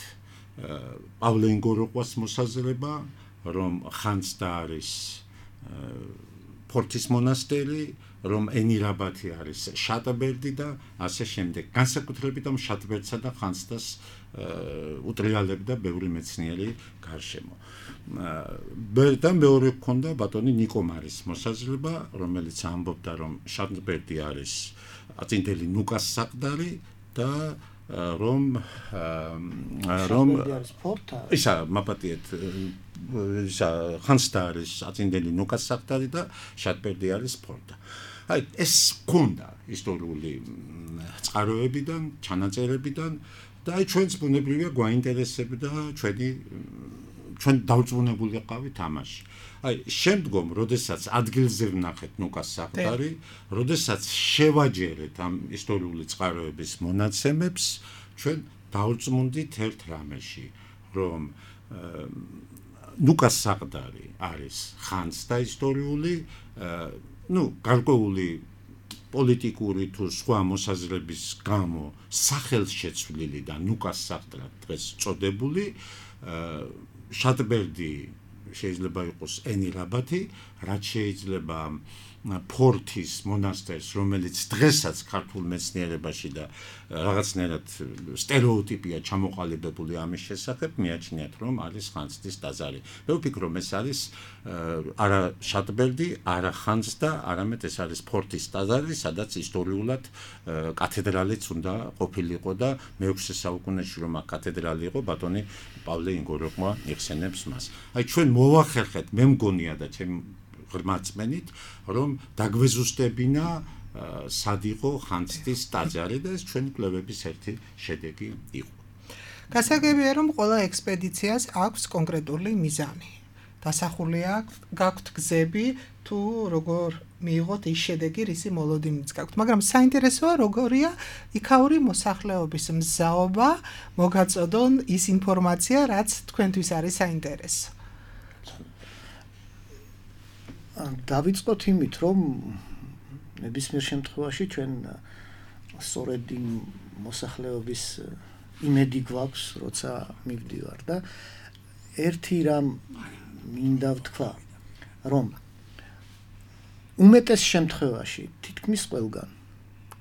პავლე ინგოროყვას მოსაზრება, რომ ხანძთა არის ფორთის მონასტერი, რომ ენირაბათი არის შატბერდი და ასე შემდეგ. განსაკუთრებით ამ შატბერდსა და ხანძთას უტრიალებდა ბევრი მეცნიერი გარშემო. და მეორე გქონდა ბატონი ნიკომარის მოსაზრება, რომელიც ამბობდა, რომ შატბერდი არის აწინდელი ნუკას საყდარი და რომ ისა მაპატიეთ ისა ხანძთა არის აწინდელი ნუკას საყდარი და შატბერდი არის ფორტა. აი ეს გქონდა ისტორიული წყაროებიდან, ჩანაწერებიდან და აი ჩვენც ბუნებრივია გვაინტერესებდა ჩვენ დავწუნებული ყავით ამაში. აი შემდგომ, როდესაც ადგილზე ვნახეთ ნუკას საყდარი, როდესაც შევაჯერეთ ამ ისტორიული წყაროების მონაცემებს, ჩვენ დავრწმუნდით ერთ რამეში, რომ ნუკას საყდარი არის ხანძთა ისტორიული, გარკვეული პოლიტიკური თუ სხვა მოსაზრების გამო სახელშეცვლილი და ნუკას საყდრად დღეს წოდებული შატბერდი შეიძლება იყოს ენი რაბათი, რაც შეიძლება ფორთის მონასტერს, რომელიც დღესაც ქართულ მეცნიერებაში და რაღაცნაირად სტერეოტიპია ჩამოყალიბებული ამის შესახებ, მიაჩნიათ, რომ არის ხანძთის ტაძარი. მე ვფიქრობ, ეს არის არა შატბერდი, არა ხანძთა, არამედ ეს არის ფორთის ტაძარი, სადაც ისტორიულად კათედრალიც უნდა ყოფილიყო და მე-6 საუკუნეში რომ აქ კათედრალი იყო, ბატონი პავლე ინგოროყმა იხსენებს მას. აი ჩვენ მოვახერხეთ, მე მგონია და ჩემ ღრმაწმენით, რომ დაგვეზუსტებინა სად იყო ხანძთის ტაძარი და ეს ჩვენი კვლევების ერთი შედეგი იყო. გასაგებია, რომ ყველა ექსპედიციას აქვს კონკრეტული მიზანი. დასახულია გაქვთ გზები თუ როგორ მიიღოთ ის შედეგი, რისი მოლოდინიც გაქვთ. მაგრამ საინტერესოა, როგორია იქაური მოსახლეობის მზაობა მოგაწოდონ ის ინფორმაცია, რაც თქვენთვის არის საინტერესო. დავიწყოთ იმით, რომ ნებისმიერ შემთხვევაში ჩვენ სწორედ იმ მოსახლეობის იმედი გვაქვს, როცა მივდივარ და ერთი რამ მინდა ვთქვა, რომ უმეტეს შემთხვევაში თითქმის ყველგან,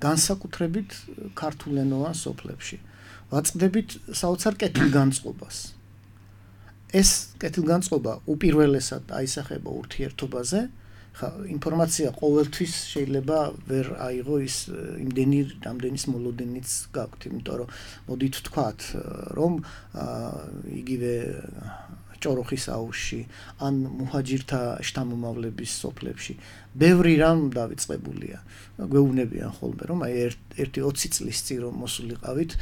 განსაკუთრებით ქართულენოვან სოფლებში, ვაწყდებით საოცარ კეთილგანწყობას. ეს კეთილგანწყობა უპირველესად აისახება ურთიერთობაზე. ინფორმაცია ყოველთვის შეიძლება ვერ აიღო ის იმდენი რამდენის მოლოდინიც გაქვთ, იმიტომ რომ მოდით ვთქვათ, რომ იგივე ჭოროხის აუზში ან მუჰაჯირთა შთამომავლების სოფლებში ბევრი რამ დავიწყებულია. გვეუბნებიან ხოლმე, რომ აი ერთი 20 წლის წინ რომ მოსულიყავით,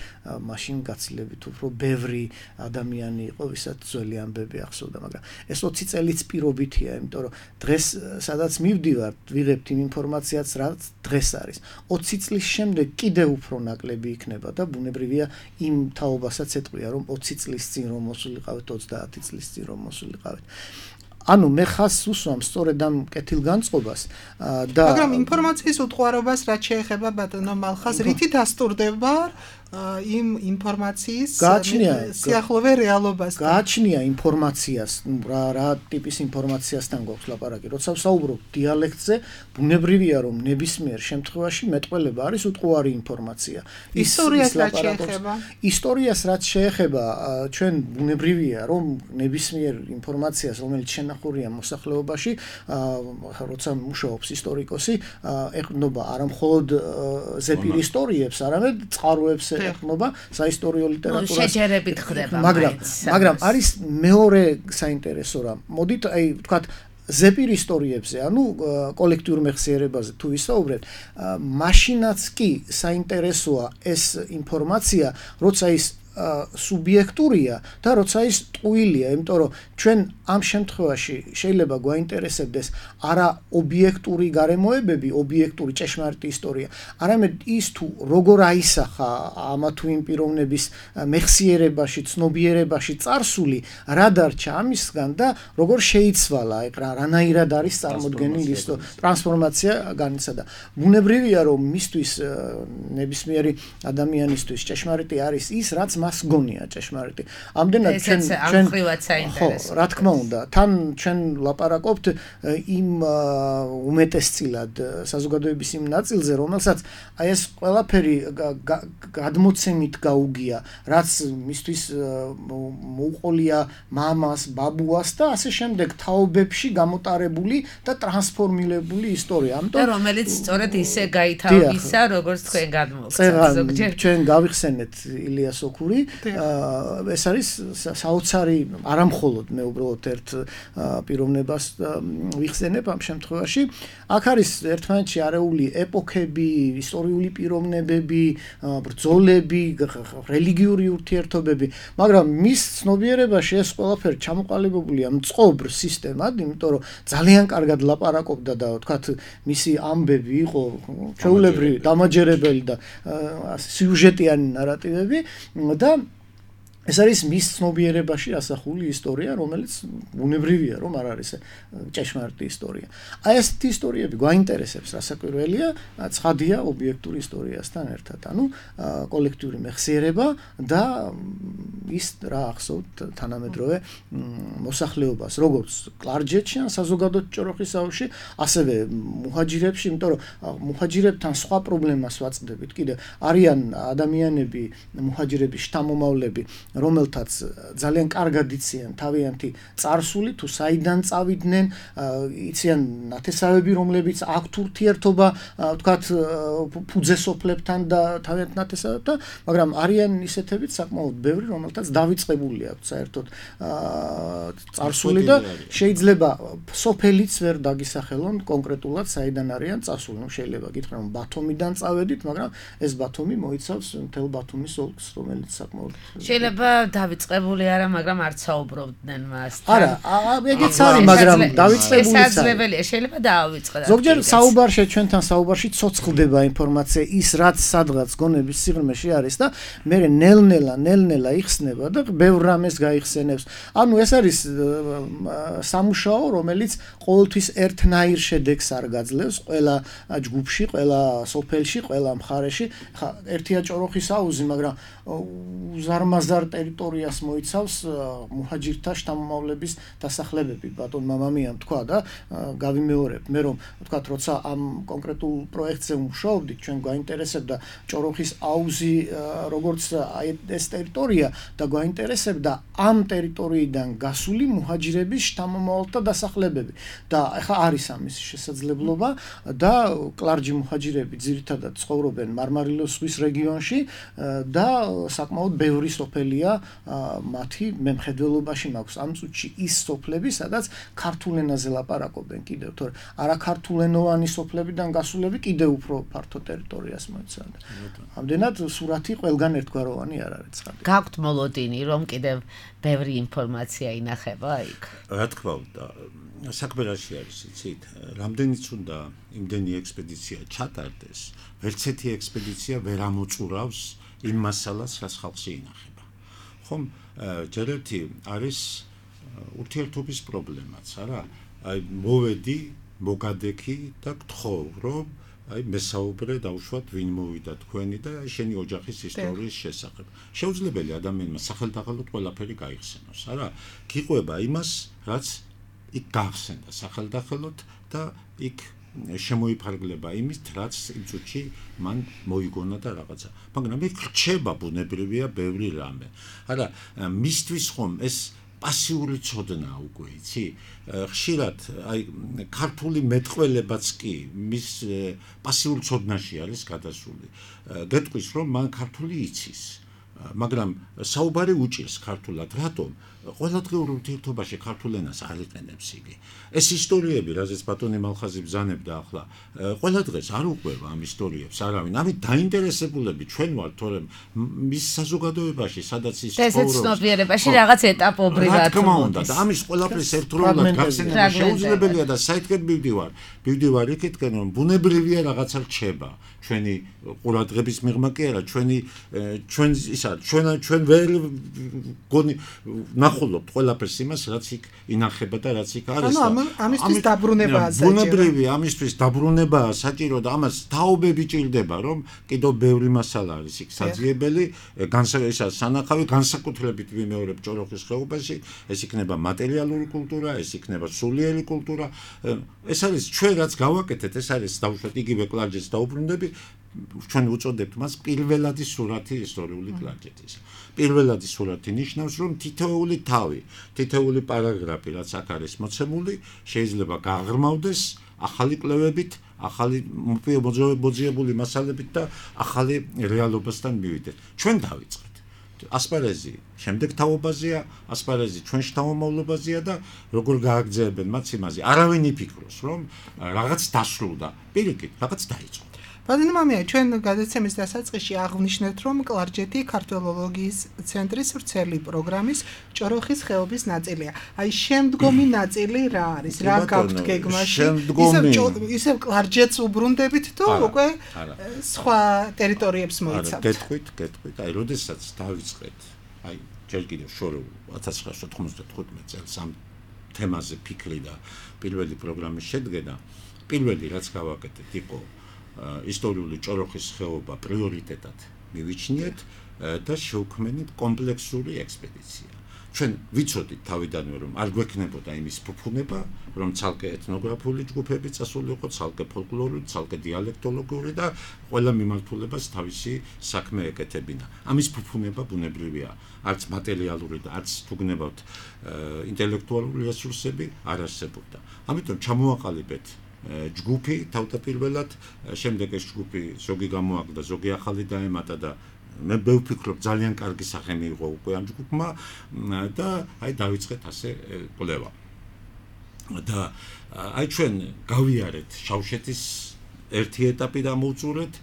მაშინ გაცილებით უფრო ბევრი ადამიანი იყო, ვისაც ძველი ამბები ახსოვდა, მაგრამ ეს 20 წელიც პირობითია, იმიტომ რომ დღეს სადაც მივდივართ, ვიღებთ იმ ინფორმაციას, რაც დღეს არის. 20 წლის შემდეგ კიდევ უფრო ნაკლები იქნება და ბუნებრივია იმ თაობასაც ეტყვია, რომ 20 წლის წინ რომ მოსულიყავით, 30 წლის წინ რომ მოსულიყავით. ანუ მე ხაზს უსვამ სწორედ ამ კეთილგანწყობას და მაგრამ ინფორმაციის უტყუარობას რაც შეეხება ბატონო მალხას, რითი დასტურდება იმ ინფორმაციის სიახლოვე რეალობასთან. გააჩნია ინფორმაციას, რა ტიპის ინფორმაციასთან გვაქვს ლაპარაკი. როცა ვსაუბრობ დიალექტზე, ბუნებრივია რომ ნებისმიერ შემთხვევაში მეტყველება არის უტყუარი ინფორმაცია. ისტორიას რაც შეეხება, ისტორიას რაც შეეხება, ჩვენ ბუნებრივია რომ ნებისმიერ ინფორმაციას, რომელიც შენახულია მოსახლეობაში, როცა მუშაობს ისტორიკოსი, ეყრდნობა არა მხოლოდ ზეპირ ისტორიებს, არამედ წყაროებს ეხმობა საისტორიო ლიტერატურას. შეჯერებით ხდება, მაგრამ არის მეორე საინტერესო რამ. მოდით აი ვთქვათ ზეპირ ისტორიებზე, ანუ კოლექტიურ მეხსიერებაზე თუ ვისაუბრებთ, მაშინაც კი საინტერესოა ეს ინფორმაცია, როცა ის სუბიექტურია და როცა ის ტყუილია, იმიტომ რომ ჩვენ ამ შემთხვევაში შეიძლება გვაინტერესებდეს არა ობიექტური გარემოებები, ობიექტური ჭეშმარიტი ისტორია, არამედ ის თუ როგორ აისახა ამა თუ იმ პიროვნების მეხსიერებაში, ცნობიერებაში წარსული, რა დარჩა ამისგან და როგორ შეიცვალა, რანაირად არის წარმოდგენილი ის ტრანსფორმაცია განიცადა. ბუნებრივია რომ მისთვის ნებისმიერი ადამიანისთვის ჭეშმარიტი არის ის, რაც მას გონია ჭეშმარიტი. ამდენად ჩვენ საინტერესოა. რა თქმა უნდა, თან ჩვენ ლაპარაკობთ იმ უმეტესწილად საზოგადოების იმ ნაწილზე, რომელსაც აი ეს ყველაფერი გადმოცემით გაუგია, რაც მისთვის მოუყოლია მამას, ბაბუას და ასე შემდეგ თაობებში გამოტარებული და ტრანსფორმირებული ისტორია. ამიტომ რომელიც სწორედ ისე გაითავისა, როგორც თქვენ გადმოგცემთ ზოგჯერ. ჩვენ გავიხსენეთ ილიას ოქური რეალური. ეს არის საოცარი არამხოლოდ მე უბრალოდ ერთ პიროვნებას ვიხსენებ ამ შემთხვევაში. აქ არის ერთმანეთში არეული ეპოქები, ისტორიული პიროვნებები, ბრძოლები, რელიგიური ურთიერთობები, მაგრამ მის ცნობიერებაში ეს ყველაფერი ჩამოყალიბებულია მწყობრ სისტემად, იმიტომ რომ ძალიან კარგად ლაპარაკობდა და ვთქვათ, მისი ამბები იყო ჩვეულებრივი, დამაჯერებელი და სიუჟეტიანი ნარატივები და ეს არის მის ცნობიერებაში ასახული ისტორია, რომელიც ბუნებრივია, რომ არ არის ჭეშმარიტი ისტორია. აი ესეთი ისტორიები გვაინტერესებს, რასაკვირველია, ცხადია ობიექტური ისტორიასთან ერთად. ანუ კოლექტიური მეხსიერება და ის რა ახსოვთ თანამედროვე მოსახლეობას, როგორც კლარჯეთში ან საზოგადოებრივ ჭოროხის აუზში, ასევე მუჰაჯირებში, იმიტომ რომ მუჰაჯირებთან სხვა პრობლემას ვაწყდებით. კიდე არიან ადამიანები, მუჰაჯირების შთამომავლები, რომელთაც ძალიან კარგად იციან თავიანთი წარსული, თუ საიდან წავიდნენ, იციან ნათესავები, რომლებიც აქვთ ურთიერთობა, ვთქვათ, ფუძესოფლებთან და თავიანთ ნათესავებთან, მაგრამ არიან ისეთებიც საკმაოდ ბევრი, რომელთაც დავიწყებული აქვთ საერთოდ წარსული და შეიძლება სოფელიც ვერ დაგისახელონ კონკრეტულად საიდან არიან წასული. ნუ შეიძლება გითხრათ, რომ ბათუმიდან წავედით, მაგრამ ეს ბათუმი მოიცავს მთელ ბათუმის ოლქს, რომელიც საკმაოდ შეიძლება დავიწყებული არა, მაგრამ არ საუბრობდნენ მასთან. არა, ეგეც არის, მაგრამ დავიწყებული არის. შესაძლებელია, შეიძლება დავიწყოთ. ზოგჯერ საუბარში ჩვენთან საუბარში ცოცხლდება ინფორმაცია ის, რაც სადღაც გონების სიღრმეში არის და მე ნელ-ნელა იხსნება და ბევრ რამეს გაიხსენებს. ანუ ეს არის სამუშაო, რომელიც ყოველთვის ერთნაირ შედეგს არ გაძლევს ყველა ჯგუფში, ყველა სოფელში, ყველა მხარეში. ხა ერთია ჭოროხის აუზი, მაგრამ უზარმაზარ ტერიტორიას მოიცავს მუჰაჯირთა შთამომავლების დასახლებები. ბატონ მამამიამ თქვა და გავიმეორებ მე რომ ვთქვათ, როცა ამ კონკრეტულ პროექტზე ვმუშაობდით, ჩვენ გვაინტერესებდა ჭოროხის აუზი როგორც ეს ტერიტორია და გვაინტერესებდა ამ ტერიტორიიდან გასული მუჰაჯირების შთამომავალთა დასახლებები. და ახლა არის ამის შესაძლებლობა და კლარჯი მუჰაჯირები ძირითადად ცხოვრობენ მარმარილოს ზღვის რეგიონში და საკმაოდ ბევრი სოფელია მათი მემხედველობაში მაქვს ამ წუთში ის სოფლები, სადაც ქართულ ენაზე ლაპარაკობენ კიდევ, თორე არაქართულენოვანი სოფლებიდან გასულები კიდევ უფრო ფართო ტერიტორიას მოიცავენ. ამდენად სურათი ყველგან ერთგვაროვანი არ არის ცხადი. გაქვთ მოლოდინი, რომ კიდევ ბევრი ინფორმაცია ინახება იქ? რა თქმა უნდა, საქმე რაში არის, იცით? რამდენიც უნდა იმდენი ექსპედიცია ჩატარდეს, ვერც ერთი ექსპედიცია ვერ ამოწურავს იმ მასალას, რაც ხალხში ინახება. ხომ, ჯერ ერთი არის ურთიერთობის პრობლემაც, არა? აი მოვედი, მოგადექი და გთხოვ, რომ აი მესაუბრე დავუშვათ, ვინ მოვიდა თქვენი და შენი ოჯახის ისტორიის შესახებ. შეუძლებელი ადამიანმა სახელდაღალოდ ყველაფერი გაიხსენოს, არა? გიყვება იმას, რაც იქ გახსენდა სახელდაღალოდ და იქ შემოიფარგლება იმით, რაც იმ წუთში მან მოიგონა და რაღაცა. მაგრამ იქ რჩება ბუნებრივია ბევრი რამე. არა, მისთვის ხომ ეს პასიური ცოდნა უკვე, იცი? ხშირად აი ქართული მეტყველებაც კი მის პასიურ ცოდნაში არის გადასული. გეტყვის, რომ მან ქართული იცის, მაგრამ საუბარი უჭირს ქართულად, რატომ? ყველადღიურ ურთიერთობაში ქართულ ენას არ იყენებს იგი. ეს ისტორიები, რაზეც ბატონი მალხაზი ბრძანებდა ახლა, ყველა დღეს არ უყვება ამ ისტორიებს არავინ. ამით დაინტერესებულები ჩვენ ვართ, თორემ მის საზოგადოებაში, სადაც ის ცხოვრობს. ეს ცნობიერებაში რაღაც ეტაპობრივად. რა თქმა უნდა, და ამის ყველაფრის ერთდროულად გახსენება შეუძლებელია და საითქეთ მივდივარ იქითკენ, რომ ბუნებრივია რაღაცა რჩება. ჩვენი ყურადღების მიღმა კი არა, ჩვენ ვერ ნახულობთ ყველაფერს იმას, რაც იქ ინახება და რაც იქ არის. ანუ ამისთვის დაბრუნებაა საჭირო. ბუნებრივი ამისთვის დაბრუნებაა საჭირო და ამას თაობები ჭირდება, რომ კიდევ ბევრი მასალა არის იქ საძიებელი, სანახავი განსაკუთრებით ვიმეორებ ჭოროხის ხეობაში, ეს იქნება მატერიალური კულტურა, ეს იქნება სულიერი კულტურა. ეს არის ჩვენ რაც გავაკეთეთ, ეს არის დავუშვათ იგივე კლარჯეთს დაუბრუნდები, ჩვენ უწოდებთ მას პირველადი სურათი ისტორიული კლარჯეთის. პირველადი სურათი ნიშნავს, რომ თითოეული თავი, თითოეული პარაგრაფი, რაც აქ არის მოცემული, შეიძლება გაღრმავდეს ახალი კვლევებით, ახალი მოძიებული მასალებით და ახალი რეალობასთან მივიდეთ. ჩვენ დავიწყეთ. ასპარეზი შემდეგ თაობაზეა, ასპარეზი ჩვენ შთამომავლობაზეა და როგორ გააგრძელებენ მათ იმაზე. არავინ იფიქროს, რომ რაღაც დასრულდა, პირიქით, რაღაც დაიწყო. ბატონო მამია, ჩვენ გადაცემის დასაწყისში აღვნიშნეთ, რომ კლარჯეთი ქართველოლოგიის ცენტრის ვრცელი პროგრამის ჭოროხის ხეობის ნაწილია. აი შემდგომი ნაწილი რა არის? რა გაქვთ გეგმაში? ისევ კლარჯეთს უბრუნდებით თუ უკვე სხვა ტერიტორიებს მოიცავთ? გეტყვით. აი, როდესაც დავიწყეთ, აი, ჯერ კიდევ შორეულ 1995 წელს ამ თემაზე ფიქრი და პირველი პროგრამის შედგენა, პირველი რაც გავაკეთეთ იყო ისტორიული ჭოროხის ხეობა პრიორიტეტად მივიჩნიეთ და შევქმნით კომპლექსური ექსპედიცია. ჩვენ ვიცოდით თავიდანვე რომ არ გვექნებოდა იმის ფუფუნება, რომ ცალკე ეთნოგრაფიული ჯგუფები წასულიყო, ცალკე ფოლკლორული, ცალკე დიალექტოლოგიური და ყველა მიმართულებას თავისი საქმე ეკეთებინა. ამის ფუფუნება ბუნებრივია, არც მატერიალური და არც თუ გნებავთ ინტელექტუალური რესურსები არ არსებობდა. ამიტომ ჩამოაყალიბეთ ჯგუფი თავდაპირველად, შემდეგ ეს ჯგუფი ზოგი გამოაგდა, ზოგი ახალი დაემატა და მე ვფიქრობ ძალიან კარგი სახე მიიღო უკვე ამ ჯგუფმა და აი დავიწყეთ ასე კვლევა. და აი ჩვენ გავიარეთ შავშეთის ერთი ეტაპი და მოუწურეთ,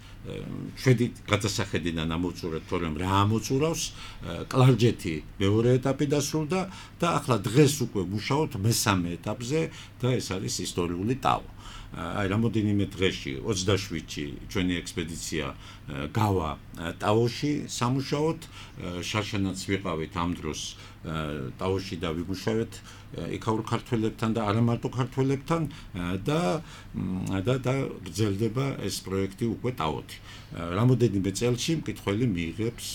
შვედი გადასახედიდან ამოუწურეთ, თორემ რა ამოწურავს, კლარჯეთი მეორე ეტაპი დასრულდა და ახლა დღეს უკვე ვმუშაობთ მესამე ეტაპზე და ეს არის ისტორიული ტაო. აი რამოდენიმე დღეში 27-ში ჩვენი ექსპედიცია გავა ტაოში სამუშაოდ, შარშანაც ვიყავით ამ დროს ტაოში და ვიმუშავეთ იქაურ ქართველებთან და არა მარტო ქართველებთან და გრძელდება ეს პროექტი უკვე ტაოთი. რამოდენიმე წელში მკითხველი მიიღებს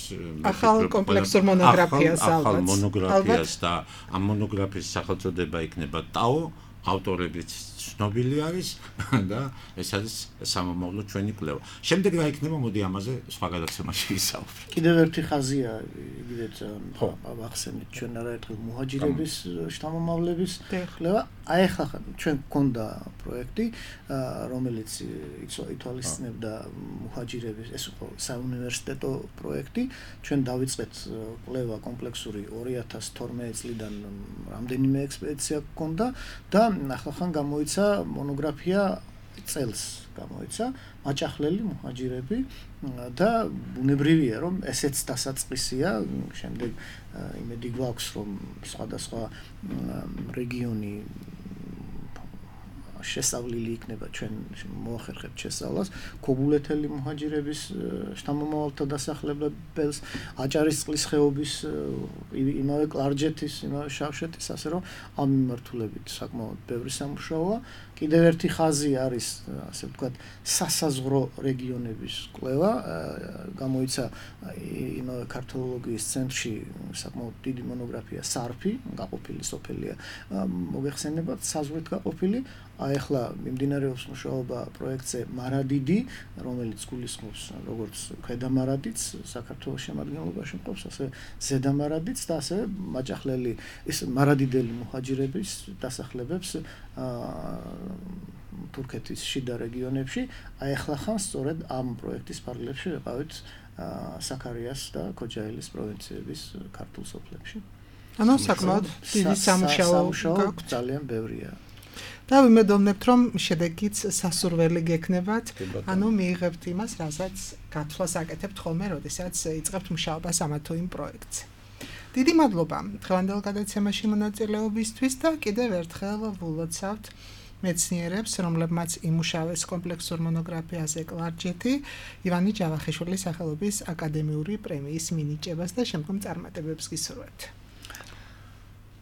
ახალ კომპლექსურ მონოგრაფიას ახალ მონოგრაფიას და ამ მონოგრაფიის სახელწოდება იქნება ტაო, ავტორებიც ცნობილი არის და ეს არის სამომავლო ჩვენი კვლევა. შემდეგ რა იქნება, მოდი ამაზე სხვა გადაცემაში ვისაუბროთ. კიდევ ერთი ხაზია, იგივეც ახსენეთ ჩვენ არაერთხელ მუჰაჯირების შთამომავლების კვლევა. აი ახლა ჩვენ გქონდა პროექტი, რომელიც ითვალისწინებდა მუჰაჯირების, ეს იყო საუნივერსიტეტო პროექტი. ჩვენ დავიწყეთ კვლევა კომპლექსური 2012 წლიდან რამდენიმე ექსპედიცია გქონდა და ახლახან გამოიცა მონოგრაფია წელს გამოიცა მაჭახლელი მუჰაჯირები და ბუნებრივია რომ ესეც დასაწყისია, შემდეგ იმედი გვაქვს რომ სხვადასხვა რეგიონი შესავლილი იქნება, ჩვენ მოახერხებთ შესავლას ქობულეთელი მუჰაჯირების შთამომავალთა დასახლებებელს, აჭარისწყლის ხეობის, იმავე კლარჯეთის, იმავე შავშეთის, ასე რომ ამ მიმართულებით საკმაოდ ბევრი სამუშაოა. კიდევ ერთი ხაზი არის, ასე ვთქვათ, სასაზღვრო რეგიონების კვლევა. გამოიცა იმავე ქართველოლოგიის ცენტრში საკმაოდ დიდი მონოგრაფია სარფი, გაყოფილი სოფელია, მოგეხსენებათ, საზღვრით გაყოფილი. აი ახლა მიმდინარეობს მუშაობა პროექტზე მარადიდი, რომელიც გულისხმობს როგორც ქვედამარადიც საქართველოს შემადგენლობაში მყოფს, ასე ზედამარადიც და ასე მაჭახლელი ის მარადიდელი მუჰაჯირების დასახლებებს თურქეთის შიდა რეგიონებში. აი ახლა ხან სწორედ ამ პროექტის პარალელში ვიყავით საქარიას და ქოჯაელის პროვინციების ქართულ სოფლებში. ანუ საკმაოდ დიდი სამუშაო გაქვს, ძალიან ბევრია. და ვიმედოვნებთ, რომ შედეგიც სასურველი გექნებათ, ანუ მიიღებთ იმას, რასაც გათვლას აკეთებთ ხოლმე, როდესაც იწყებთ მუშაობას ამა თუ იმ პროექტზე. დიდი მადლობა დღევანდელ გადაცემაში მონაწილეობისთვის და კიდევ ერთხელ ვილოცავთ მეცნიერებს, რომლებმაც იმუშავეს კომპლექსურ მონოგრაფიაზე კლარჯეთი, ივანი ჯავახიშვილის სახელობის აკადემიური პრემიის მინიჭებას და შემდგომ წარმატებებს გისურვებთ.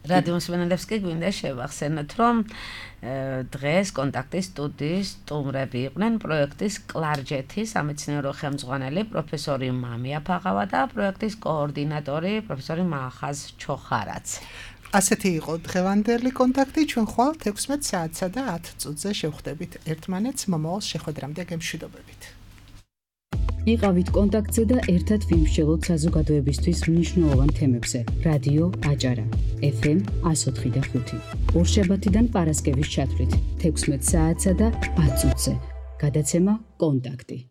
რადიო მსმენელებს კი გვინდა შევახსენოთ, რომ დღეს კონტაქტის სტუდიის სტუმრები იყვნენ პროექტის კლარჯეთი სამეცნიერო ხელმძღვანელი პროფესორი მამია ფაღავა და პროექტის კოორდინატორი პროფესორი მალხაზ ჩოხარაძე. ასეთი იყო დღევანდელი კონტაქტი, ჩვენ ხვალ 16 საათსა და 10 წუთზე შევხვდებით ერთმანეთს, მომავალ შეხვედრამდე გემშვიდობებით. იყავით კონტაქტზე და ერთად ვიმსჯელოთ საზოგადოებისთვის მნიშვნელოვან თემებზე. რადიო აჭარა FM 104.5 ორშაბათიდან პარასკევის ჩათვლით 16 საათსა და 10 წუთზე. გადაცემა კონტაქტი.